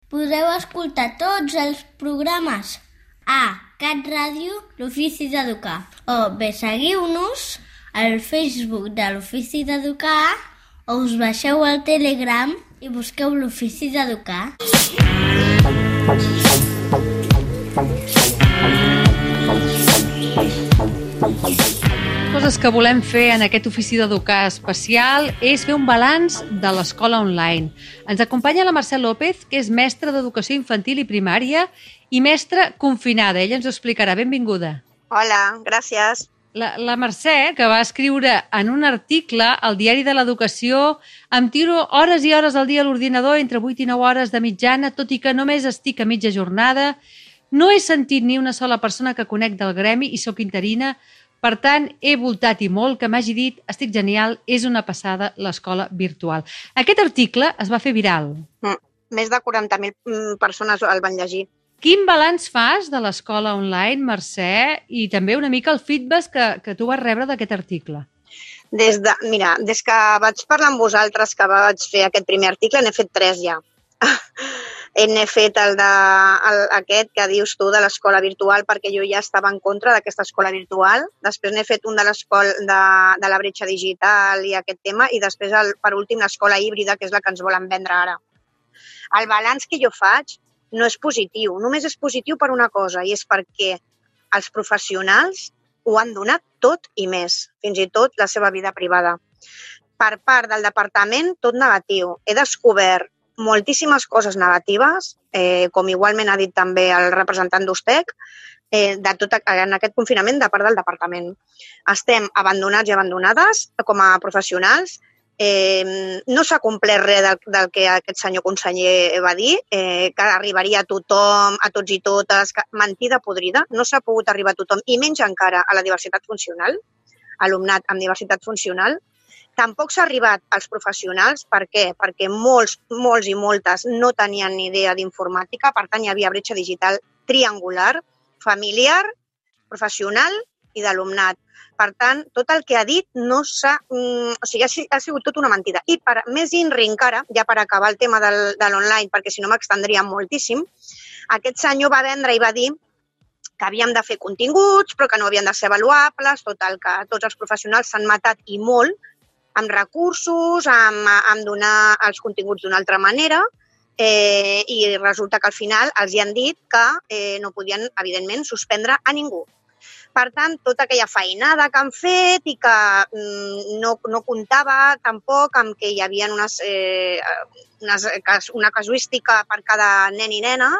Podeu escoltar tots els programes a Cat Ràdio, l'Ofici d'Educar. O bé seguiu-nos al Facebook de l'Ofici d'Educar o us baixeu al Telegram i busqueu l'Ofici d'Educar. Coses que volem fer en aquest Ofici d'Educar especial és fer un balanç de l'escola online. Ens acompanya la Mercè López, que és mestra d'Educació Infantil i Primària i mestra confinada. Ella ens ho explicarà. Benvinguda. Hola, gràcies. La Mercè, que va escriure en un article al Diari de l'Educació: em tiro hores i hores al dia a l'ordinador, entre 8 i 9 hores de mitjana, tot i que només estic a mitja jornada. No he sentit ni una sola persona que conec del gremi i sóc interina. Per tant, he voltat i molt que m'hagi dit: estic genial, és una passada l'escola virtual. Aquest article es va fer viral. Més de 40.000 persones el van llegir. Quin balanç fas de l'escola online, Mercè, i també una mica el feedback que tu vas rebre d'aquest article? Des que vaig parlar amb vosaltres, que vaig fer aquest primer article, n'he fet 3 ja. N'he fet aquest que dius tu de l'escola virtual, perquè jo ja estava en contra d'aquesta escola virtual. Després n'he fet un de de la bretxa digital i aquest tema, i després, per últim, l'escola híbrida, que és la que ens volen vendre ara. El balanç que jo faig no és positiu, només és positiu per una cosa, i és perquè els professionals ho han donat tot i més, fins i tot la seva vida privada. Per part del departament, tot negatiu. He descobert moltíssimes coses negatives, com igualment ha dit també el representant d'Ustec, en aquest confinament de part del departament. Estem abandonats i abandonades com a professionals. No s'ha complert res del que aquest senyor conseller va dir, que arribaria a tothom, a tots i totes, mentida podrida. No s'ha pogut arribar a tothom, i menys encara a la diversitat funcional, alumnat amb diversitat funcional. Tampoc s'ha arribat als professionals. Per què? Perquè molts i moltes no tenien ni idea d'informàtica, per tant hi havia bretxa digital triangular, familiar, professional i d'alumnat. Per tant, tot el que ha dit no s'ha... O sigui, ha sigut tot una mentida. I més INRI encara, ja per acabar el tema de l'online, perquè si no m'extendria moltíssim, aquest senyor va vendre i va dir que havíem de fer continguts, però que no havien de ser avaluables, total, que tots els professionals s'han matat i molt, amb recursos, amb donar els continguts d'una altra manera, i resulta que al final els hi han dit que no podien, evidentment, suspendre a ningú. Per tant, tota aquella feinada que han fet i que no comptava tampoc amb que hi havia una casuística per cada nen i nena,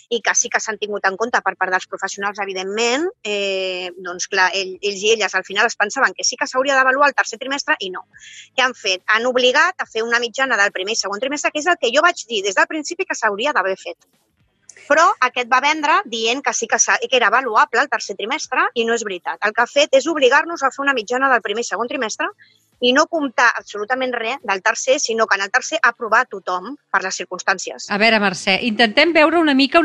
i que sí que s'han tingut en compte per part dels professionals, evidentment, doncs clar, ells i elles al final es pensaven que sí que s'hauria d'avaluar el tercer trimestre i no. Què han fet? Han obligat a fer una mitjana del primer i segon trimestre, que és el que jo vaig dir des del principi que s'hauria d'haver fet. Però aquest va vendre dient que sí que era avaluable el tercer trimestre, i no és veritat. El que ha fet és obligar-nos a fer una mitjana del primer i segon trimestre i no comptar absolutament res del tercer, sinó que en el tercer aprovar tothom per les circumstàncies. A veure, Mercè, intentem veure una mica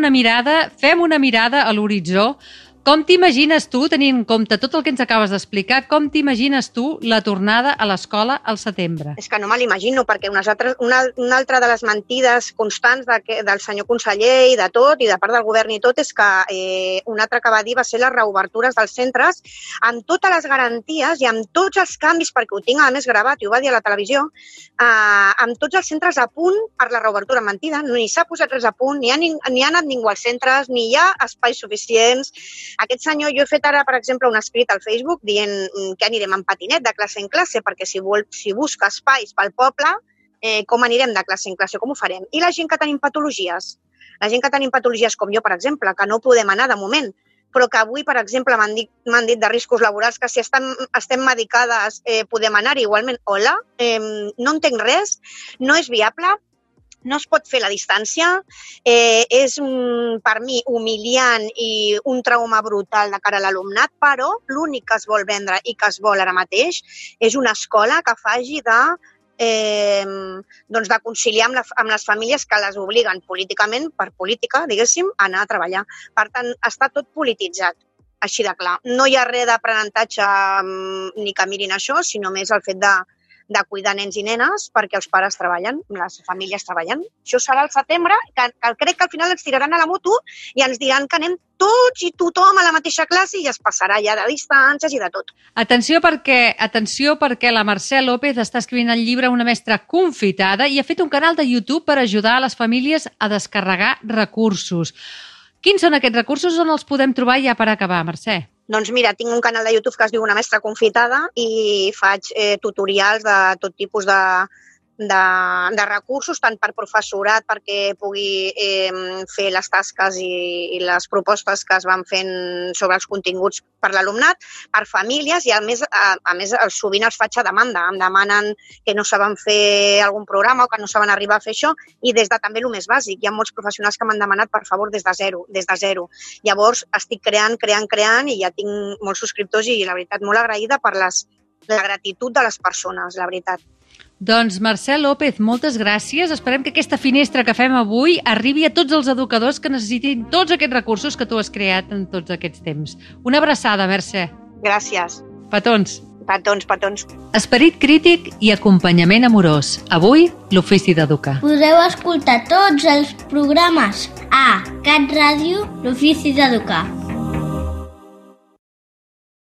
fem una mirada a l'horitzó. Com t'imagines tu, tenint en compte tot el que ens acabes d'explicar, com t'imagines tu la tornada a l'escola al setembre? És que no me l'imagino, perquè una altra de les mentides constants del senyor conseller i de tot, i de part del govern i tot, és que una altra que va dir va ser les reobertures dels centres amb totes les garanties i amb tots els canvis, perquè ho tinc a més gravat i ho va dir a la televisió, amb tots els centres a punt per la reobertura. Mentida, ni s'ha posat res a punt, ni ha anat ningú als centres, ni hi ha espais suficients. Aquest senyor, jo he fet ara, per exemple, un escrit al Facebook dient que anirem en patinet de classe en classe, perquè si busca espais pel poble, com anirem de classe en classe, com ho farem? I la gent que tenim patologies, com jo, per exemple, que no podem anar de moment, però que avui, per exemple, m'han dit de riscos laborals que si estem medicades podem anar-hi igualment. Hola, no entenc res, no és viable. No es pot fer la distància, és per mi humiliant i un trauma brutal de cara a l'alumnat, però l'únic que es vol vendre i que es vol ara mateix és una escola que faci de conciliar amb les famílies que les obliguen políticament, per política, diguéssim, a anar a treballar. Per tant, està tot polititzat, així de clar. No hi ha res d'aprenentatge ni que mirin això, sinó més el fet de cuidar nens i nenes perquè els pares treballen, les famílies treballen. Això serà al setembre, que crec que al final ens tiraran a la moto i ens diran que anem tots i tothom a la mateixa classe i es passarà ja de distàncies i de tot. Atenció perquè la Mercè López està escrivint el llibre Una mestra confitada i ha fet un canal de YouTube per ajudar a les famílies a descarregar recursos. Quins són aquests recursos on els podem trobar ja per acabar, Mercè? Doncs mira, tinc un canal de YouTube que es diu Una mestra confitada i faig tutorials de tot tipus de recursos, tant per professorat perquè pugui fer les tasques i les propostes que es van fent sobre els continguts per l'alumnat, per famílies i a més sovint els faig a demanda. Em demanen que no saben fer algun programa o que no saben arribar a fer això i des de també el més bàsic. Hi ha molts professionals que m'han demanat, per favor, des de zero. Llavors estic creant i ja tinc molts subscriptors i la veritat molt agraïda per la gratitud de les persones, la veritat. Doncs Mercè López, moltes gràcies. Esperem que aquesta finestra que fem avui arribi a tots els educadors que necessitin tots aquests recursos que tu has creat en tots aquests temps. Una abraçada, Mercè. Gràcies. Petons. Petons. Esperit crític i acompanyament amorós. Avui, l'Ofici d'Educar. Podeu escoltar tots els programes a Cat Ràdio, l'Ofici d'Educar.